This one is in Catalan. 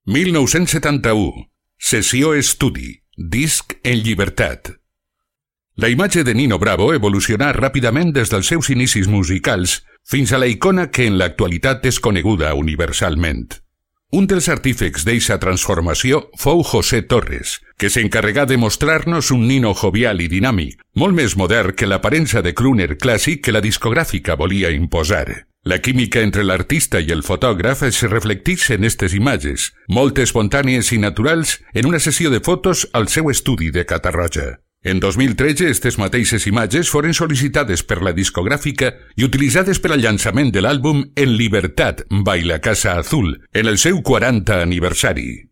1971. Sessió estudi. Disc en llibertat. La imatge de Nino Bravo evolucionà ràpidament des dels seus inicis musicals fins a la icona que en l'actualitat és coneguda universalment. Un dels artífex d'eixa transformació fou José Torres, que s'encarregà de mostrar-nos un Nino jovial i dinàmic, molt més modern que l'aparença de crooner clàssic que la discogràfica volia imposar. La química entre l'artista i el fotògraf es reflectix en estes imatges, molt espontànies i naturals, en una sessió de fotos al seu estudi de Catarroja. En 2013, estes mateixes imatges foren sol·licitades per la discogràfica i utilitzades per al llançament de l'àlbum En Libertad by la Casa Azul, en el seu 40 aniversari.